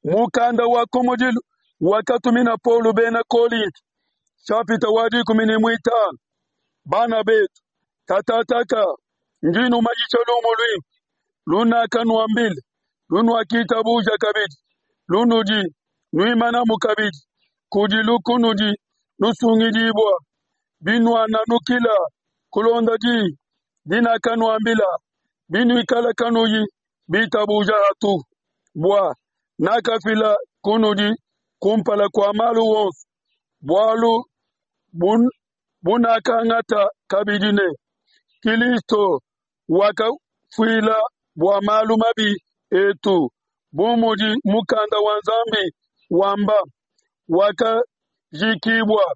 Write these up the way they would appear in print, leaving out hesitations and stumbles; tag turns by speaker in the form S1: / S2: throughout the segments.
S1: Mukanda wa kumudilu wakatumina Paulo bena Kolinto, nshapita wa 15. Bana betu, katataka ndi numanyisha lumu luimpe lunakanuambila, lunuakitabuja kabidi, lunudi nuimanamu kabidi, kudilu kunudi nusungidibua, binuananukila kulonda diyi dinakanuambila, binuikala kanuyi bitabuja hatuhu. Bua nakafila kunudi kumpala kua malu onso bualu bunakangata kabidi ne, Kilisto wakafuila bua malu mabi etu, bu mudi mukanda wa Nzambi wamba, wakajikibua,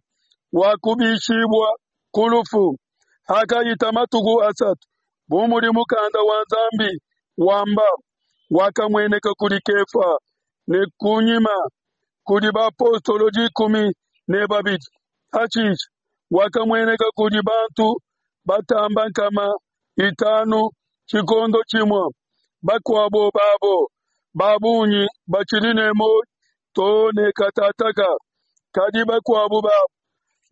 S1: wakubishibua ku lufu hakahita matuku asatu, bu mudi mukanda wa Nzambi wamba, wakamueneka kudi Kefa ne kunyima kudi bapostolo 12. Hashishe wakamueneka kudi bantu batamba 500 tshikondo tshimue, bakuabo babo ba bungi batshidi ne muoyo too ne katataka, kadi bakuabo babo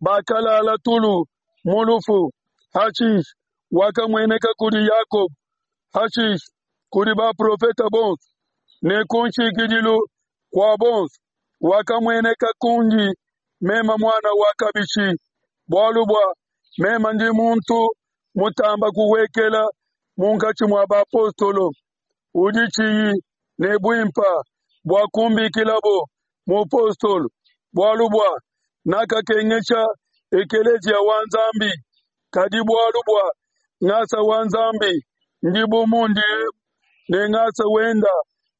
S1: bakalala tulu mu lufu. Hashishe wakamueneka kudi Yakobo, hashishe kudi baprofete bonso, ne ku nshikidilu kua bonso wakamueneka kundi meme muana wa kabishi, bualu bua meme ndi muntu mutamba kuhuekela munkatshi mua bapostolo, udi tshiyi ne buimpa bua kumbikilabo mupostolo, bualu bua nakakengesha ekeleziya wa Nzambi. Kadi bualu bua ngasa wa Nzambi ndi bu mundi ne ngasa wenda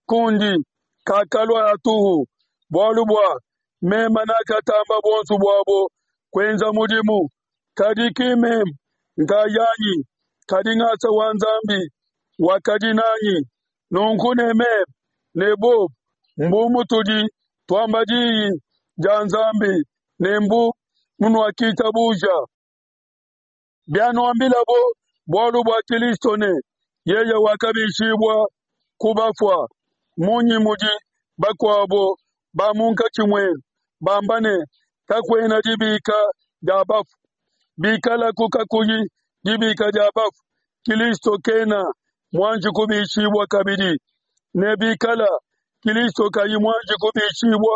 S1: kundi kakalua hatuhu, bualu bua meme nakatamba buonso buabo kuenza mudimu, kadi ki meme nkayanyi, kadi ngasa wa Nzambi wakadi nanyi. Nunku ne meme ne bobo mbu mutudi tuamba diyi dia Nzambi ne mbu munuakitabuja. Bianuambilabo bualu bua Kilisto ne yeye wakabishibua ku bafua, munyi mudi bakuabo ba munkatshi muenu bamba ne, kakuena dibika dia bafue? Bikalaku kakuyi dibika dia bafue, Kilisto kena muanji kubishibua kabidi. Ne bikala Kilisto kayi muanji kubishibua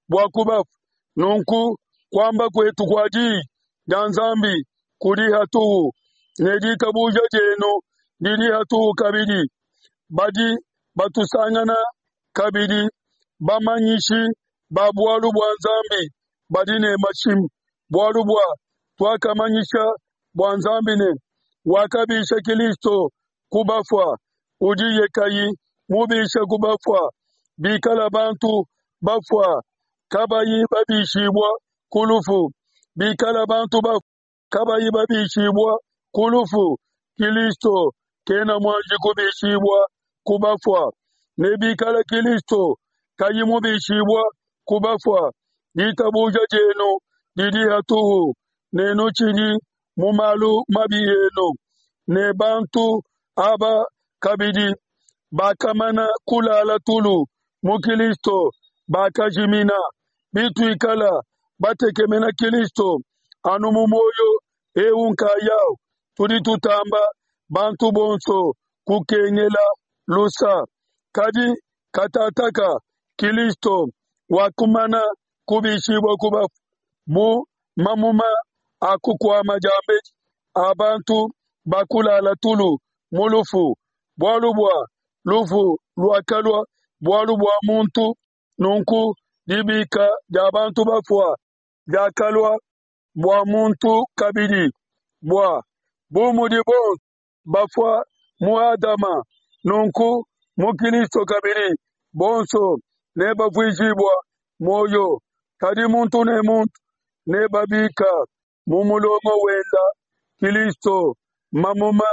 S1: bua ku bafue, nunku kuamba kuetu kua diyi dia Nzambi kudi hatuhu, ne ditabuja dienu didi hatuhu kabidi. Badi batusangana kabidi bamanyishi ba bualu bua Nzambi badi ne mashimi, bualu bua tuakamanyisha bua Nzambi ne wakabisha Kilisto ku bafua, udiye kayi mubisha ku bafua. Bikala bantu bafua kabayi babishibua ku lufu, bikala bantu bafua kabayi babishibua ku lufu, Kilisto kena muanji kubishibua ku bafua. Ne bikala Kilisto kayi mubishibua ku bafua, ditabuja dienu didi hatuhu, ne nutshidi mu malu mabi enu. Ne bantu aba kabidi bakamana kulala tulu mu Kilisto bakajimina. Bituikala batekemena Kilisto anu mu muoyo eu nkayau, tudi tutamba bantu bonso kukengela lusa. Kadi katataka Kilisto wakumana kubishibua ku bafue bu mamuma a kukuama diambedi a bantu bakulala tulu mu lufu, bualu bua lufu luakalua bualu bua muntu, nunku dibika dia bantu bafua diakalua bua muntu kabidi. Bua bu mudi bonso bafua mu Adama, nunku mu Kilisto kabidi bonso nebavuijibua muoyo, kadi muntu ne muntu nebabika mu mulongo wenda. Kilisto mamuma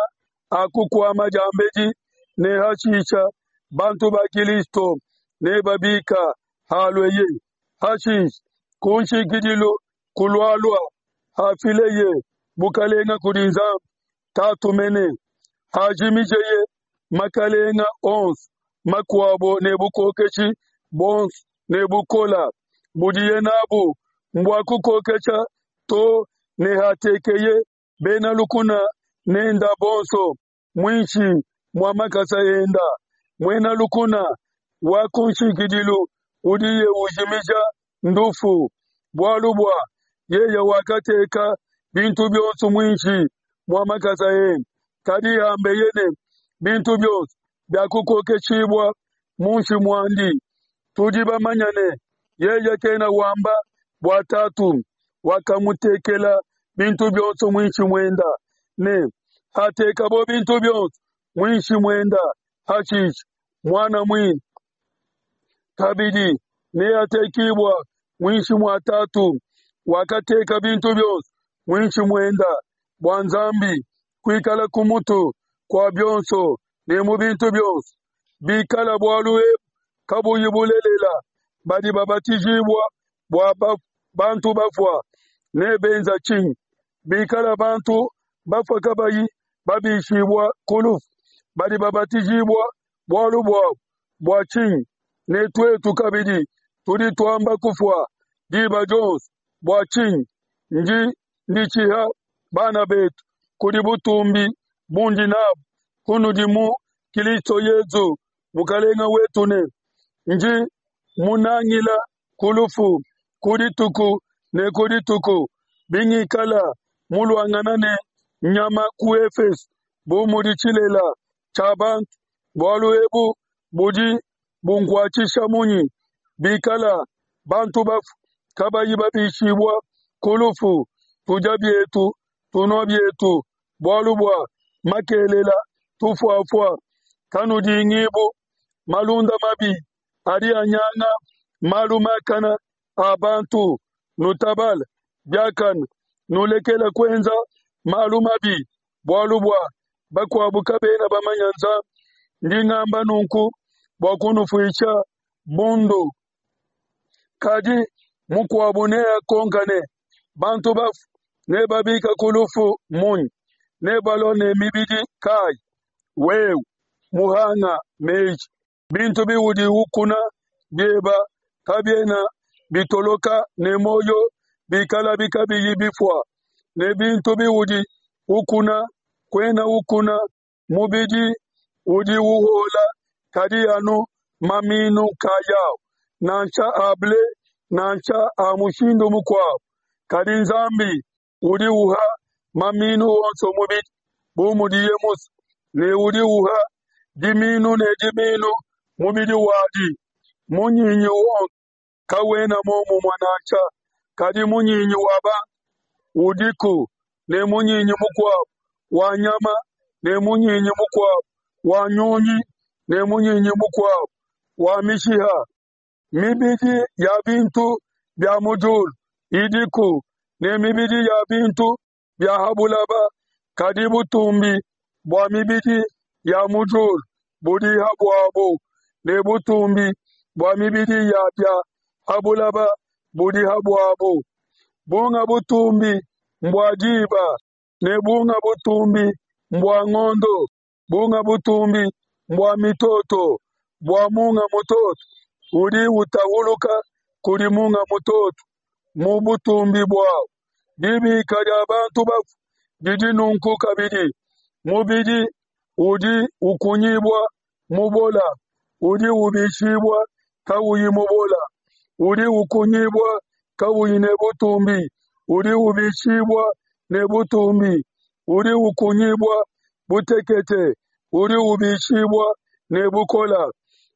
S1: a kukuama diambedi, ne hashisha bantu ba Kilisto nebabika halueye. Hashisha ku nshikidilu kulualua hafileye bukalenga kudi Nzambi Tatu mene, hajimijeye makalenga onso makuabo ne bukokeshi buonso ne bukola budiye nabu mbua kukokesha to ne hatekeye bena lukuna nenda bonso muinshi mua makasa enda. Muena lukuna wa kunshikidilu udiye ujimija ndufu, bualu bua yeye wakateka bintu bionso muinshi mua makasa ende. Kadi hambeye ne bintu bionso biakukokeshibua munshi muandi, tudi bamanya ne yeye kena wamba bua Tatu wakamutekela bintu bionso muinshi muenda, ne hatekabo bintu bionso muinshi muenda, hashishe Muana muine kabidi neatekibua muinshi mua Tatu wakateka bintu bionso muinshi muenda, bua Nzambi kuikala ku mutu kua bionso ne mu bintu bionso. Bikala bualu ebu kabuyi bulelela, badi babatijibua bua bantu bafua nebenza tshinyi? Bikala bantu bafua kabayi babishibua ku lufu, badi babatijibua bualu buabu bua tshinyi? Ne tuetu kabidi tudi tuamba kufua diba dionso bua tshinyi? Ndi nditshiha bana betu kudi butumbi bundi nabu kunudi mu Kilisto Yezu Mukalenga wetu ne ndi munangila ku lufu ku dituku ne ku dituku, bingikala muluangana ne nyama ku Efeso bu mudi tshilela tshia bantu, bualu ebu budi bunkuatshisha munyi? Bikala bantu bafue kabayi babishibua ku lufu, tudia bietu, tunua bietu, bualu bua makelela tufuafua. Kanudingibu, malunda mabi adi anyanga malu makana a bantu. Nutabale biakane, nulekela kuenza malu mabi, bualu bua bakuabu kabena bamanya Nzambi. Ndi ngamba nunku bua kunufuisha bundu. Kadi mukuabu neakonka ne, bantu bafue nebabika ku lufu munyi? Nebalua ne mibidi kayi? Wewe muhanga meji, bintu biudi ukuna bieba kabiena bitoloka ne muoyo bikalabi kabiyi bifua, ne bintu biudi ukuna kuena ukuna mubidi udi uhola, kadi anu maminu nkayawu, nansha a ble nansha a mushindu mukuabu. Kadi Nzambi udi uha maminu onso mubidi bu mudiye musue, ne udi uha diminu ne diminu mubidi wadi. Munyinyi wonso kawena momumue nansha, kadi munyinyi wa bantu udiku, ne munyinyi mukuabu wa nyama, ne munyinyi mukuabu wa nyunyi, ne munyinyi mukuabu wa mishiha. Mibidi ya bintu bia mu diulu idiku, ne mibidi ya bintu bia ha bulaba, kadi butumbi bua mibidi ya mu diulu budi ha buabu, ne butumbi bua mibidi ya bia ha bulaba budi ha buabu. Bunga butumbi mbua diba, ne bunga butumbi mbua ngondo, bunga butumbi mbua mitoto, bua munga mutoto udi utahuluka kudi munga mutoto mu butumbi buawu. Dibika dia bantu bafue didi nunku kabidi. Mubidi udi ukunyibua mubola, udi ubishibua kauyi mubola, udi ukunyibua kauyi ne butumbi, udi ubishibua ne butumbi, udi ukunyibua butekete, udi ubishibua ne bukola,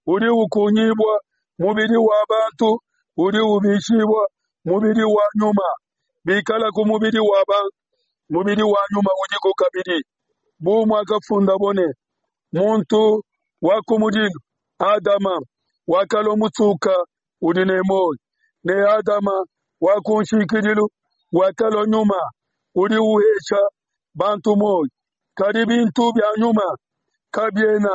S1: udi ukunyibua mubidi wa bantu, udi ubishibua mubidi wa nyuma. Bikala ku mubidi wa bantu, mubidi wa nyuma udiku kabidi. Bu muakafundabo ne, muntu wa kumudilu Adama wakalua mutsuka udi ne muoyo, ne Adama wa kunshikidilu wakalua nyuma udi uhesha bantu muoyo. Kadi bintu bia nyuma kabiena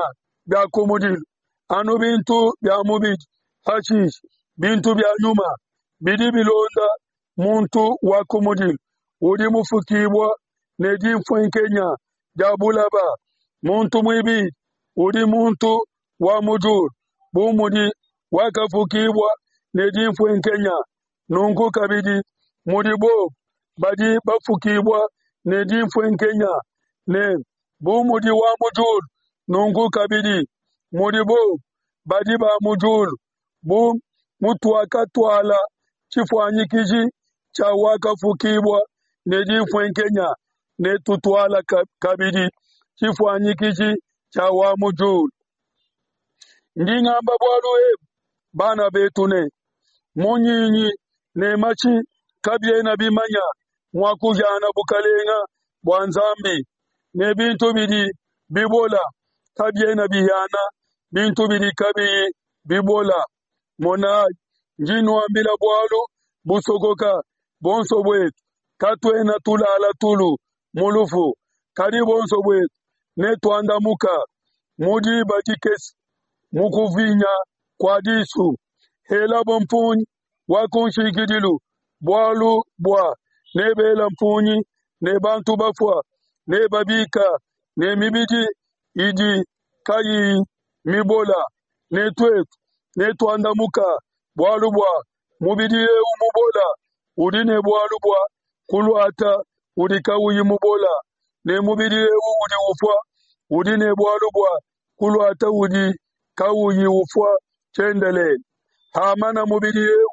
S1: bia kumudilu, anu bintu bia mubidi. Hashishe bintu bia nyuma bidi bilonda muntu wa kumudilu udi mufukibua ne dimfuenkenya dia bulaba. Muntu muibidi udi muntu wa mu diulu, bu mudi wakafukibua ne dinfuenkenya, nunku kabidi mudi bobo badi bafukibua ne dinfuenkenya, ne bu mudi wa mu diulu, nunku kabidi mudi bobo badi ba mu diulu. Bu mutuakatuala tshifuanyikiji tshia wakafukibua ne dinfuenkenya, netutuala kabidi tshifuanyikiji tshia wa mu diulu. Ndi ngamba bualu ebu, bana betu, ne munyinyi ne mashi kabiena bimanya mua kuhiana bukelenge bua Nzambi, ne bintu bidi bibola kabiena bihiana bintu bidi kabiyi bibola. Monai, ndi nuambila bualu busokoka, buonso buetu katuena tulala tulu mu lufu, kadi buonso buetu netuandamuka mu diba dikese, mu kuvinya kua disu. Helabo mpungi wa kunshikidilu, bualu bua nebela mpungi ne bantu bafua nebabika ne mibidi idi kayiyi mibola, ne tuetu netuandamuka, bualu bua mubidi eu mubola udi ne bualu bua kuluata udi kauyi mubola, ne mubidi eu udi ufua udi ne bualu bua kuluata udi kauyi ufua tshiendelele. Hamana mubidi eu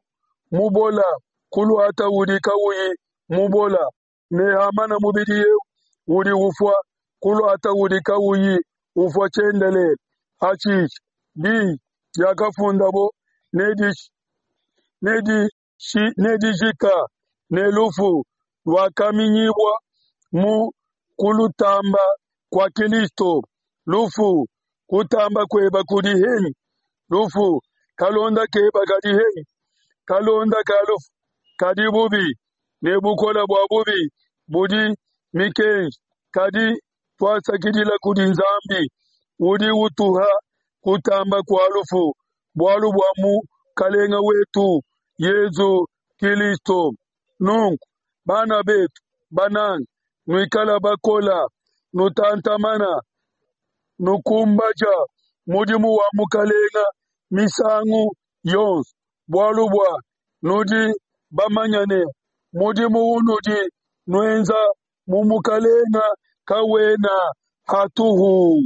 S1: mubola kuluata udi kauyi mubola, ne hamana mubidi eu udi ufua kuluata udi kauyi ufua tshiendelele. Hashishe diyi diakafundabo nedijika, ne lufu luakaminyibua mu kulutamba kua Kilisto. Lufu, kutamba kueba kudi henyi? Lufu, kalonda keba kadi henyi? Kalonda ka lufu kadi bubi, ne bukole bua bubi budi mikenji. Kadi tuasakidila kudi Nzambi udi utuha kutamba kua lufu bualu bua Mukelenge wetu Yesu Kilisto. Nunku, bana betu bananga, nuikala bakola, nutantamana, nukumbaja mudimu wa Mukelenge misangu yonso, bualu bua nudi bamanya ne mudimu unudi nuenza mu Mukelenge kawena hatuhu.